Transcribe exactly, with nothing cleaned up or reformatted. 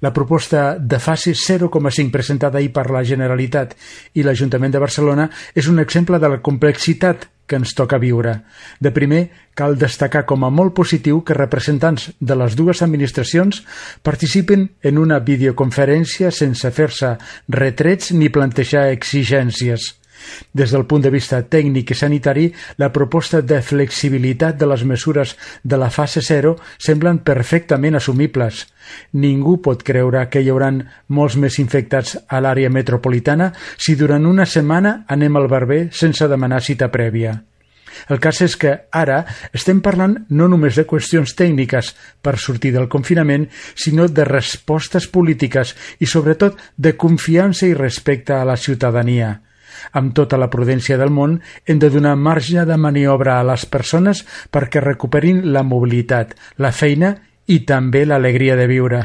La proposta de fase zero coma cinc presentada ahir per la Generalitat i l'Ajuntament de Barcelona és un exemple de la complexitat que ens toca viure. De primer, cal destacar com a molt positiu que representants de les dues administracions participen en una videoconferència sense fer-se retrets ni plantejar exigències. Des del punt de vista tècnic i sanitari, la proposta de flexibilitat de les mesures de la fase zero semblen perfectament assumibles. Ningú pot creure que hi haurà molts més infectats a l'àrea metropolitana si durant una setmana anem al barber sense demanar cita prèvia. El cas és que ara estem parlant no només de qüestions tècniques per sortir del confinament, sinó de respostes polítiques i, sobretot, de confiança i respecte a la ciutadania. Amb tota la prudència del món, hem de donar marge de maniobra a les persones perquè recuperin la mobilitat, la feina i també l'alegria de viure.